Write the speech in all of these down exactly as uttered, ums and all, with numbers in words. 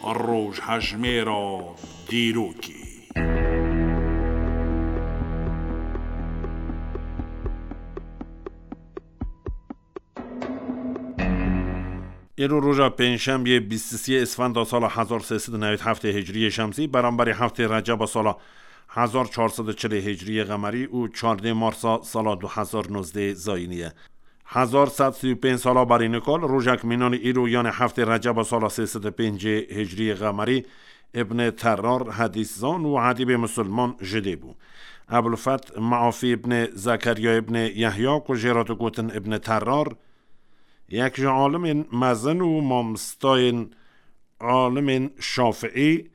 Rojhejmêra dîrokê. Îro roja pêncşembiyê bîst û sê Îsfenda sala hezar sê sed û newî heftê Hicriyê Şemsî, beramberî heftê Receba sala hezar çar sed û çilê Hicriyê Qemerî û çardê Marsa sala du hezar nozdeh Zayînî ye. Hezar sed sî û pênc sala berî nika li rojek mînanî îro, yanê heftê Receba sala sê sed û pêncê Hicriyê Qemerî, Îbnê Terrar, hedîszan û edîbê misilman ji dê bû. Ebulfet Meafî Îbnê Zekerya Îbnê Yehya, ku jê re digotin Îbnê Terrar, yek ji alimên mezin û mamostayên alimên şafiî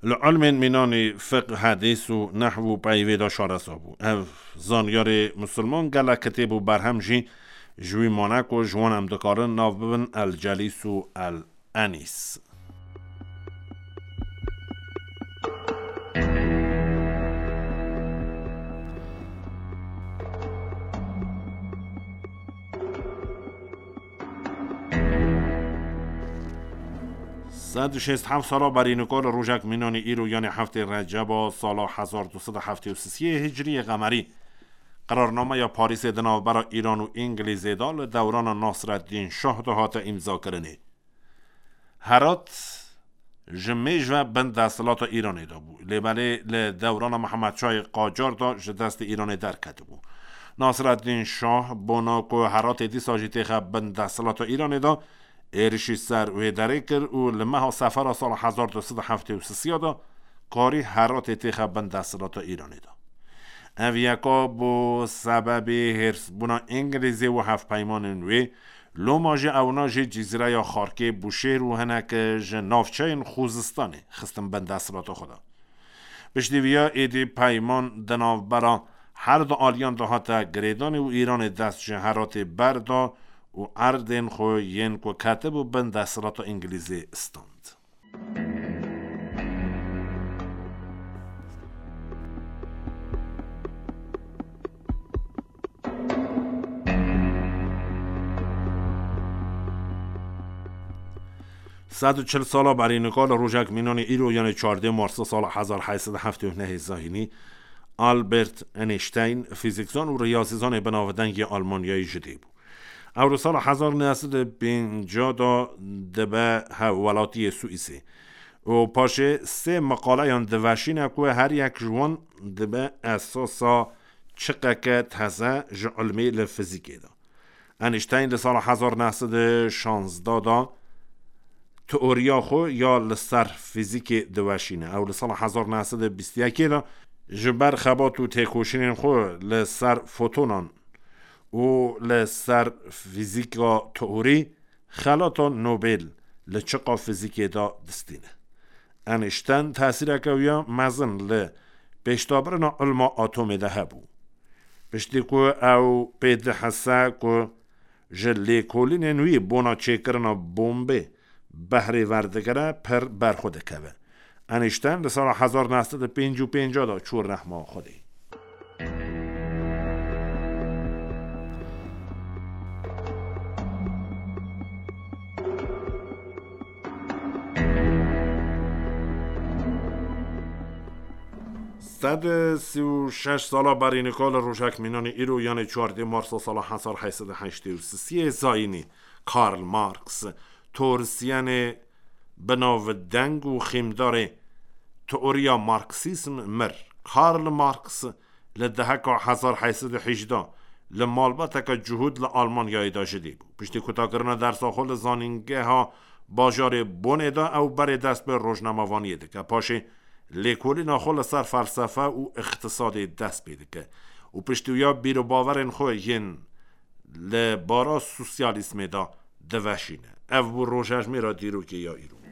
li ilmên mînanî fiqh, hedîs û nehw û peyvê de şaresa bû. Ev zanyarê misilman gelek kitêb û berhem jî ji wî mane, ku ji wan em dikarin nav bibin El Celîs û El Enîs. Sed û şêst heft sala berî nika li rojek mînanî îro, yanê heftê Receba sala hezar du sed û heftê û sê Hicriyê Qemerî, qerarnameya Parîsê di navbera Îran û Îngilîzê de li dewrana Nasreddîn Şah de hate îmzakirinê. Herat ji mêj ve bin desthilata Îranê de bû. Lê belê li dewrana Mihemed Şahê Qacar de ji destê Îranê derketibû. Nasreddîn Şah bona ku Heratê dîsa jî têxe bin desthilata Îranê de, êrişî ser wê derê kir û li meha Sefera sala hezar du sed û heftê û sê de karî Heratê têxe bin desthilata Îranê de. Ev yeka bû sebebê hêrsbûna Îngilîzê û hevpeymanên wê. Loma jî ewna jî Cizîreya Xarkê, Bûşêr û hinek ji navçeyên Xuzistanê xistin bin desthilata xwe de. Piştî viya êdî peyman di navbera her du aliyan de hate girêdanê û Îranê dest ji Heratê berda û erdên xwe yên ku ketibû bin desthilata Îngilîzê stand. Sed û çil sala berî nika li rojek mînanî îro, yanê çardê Marsa sala hezar heyt sed û heftê û nehê Zayînî, Albert Einstein, fîzîkzan û riyazîzanê binavdengê Almanyayê ji dê bû. Ew li sala hezar neh sed û pêncî de dibe hevwelatiyê Swîsê û paşê sê meqaleyan diveşîne ku her yek ji wan dibe esasa çiqeke teze ji ilmê li fizîkê de. Einstein li sala hezar neh sed û şazdeh de teoriya xwe ya li ser fîzîkê diweşîne. Ew li sala hezar neh sed û bîst û yekê de ji ber xebat û têkoşînên xwe li ser fotonan û li ser fîzîka teorî xelata Nobel li çiqa fîzîkê de distîne. Einstein tesîreke wî ya mezin li pêşdabirina ilma atomê de hebû. Piştî ku ew pê dihese ku ji lêkolînên wî bona çêkirina bombê behrê verdigire, pir berxwe dikeve. Einstein li sala hezar neh sed û pêncî û pênc de çû rehma Xwedê. Sed û sî û şeş sala berî nika li rojek mînanî îro, yanê çardê Marsa sala hezar heyt sed û heştê û sê Zayînî, Karl Marx, teorîsyenê binavdeng û xîmdarê teoriya Marksîzm mir. Karl Marx li deheka hezar heyt sed û hejdeh li malbateke cihûd li Almanyayê de ji dê bû. Piştî kutakirina dersa xwe li zanîngeha bajarê Bonê de, ew berê dest bi rojnamevaniyê dike. Paşê lêkolîna xwe li ser felsefe û îqtisadê dest pê dike û piştî wiya bîr û bawerên xwe yên li bara sosyalîzmê de diveşîne. Ev bû rojhejmêra dîrokê ya îro.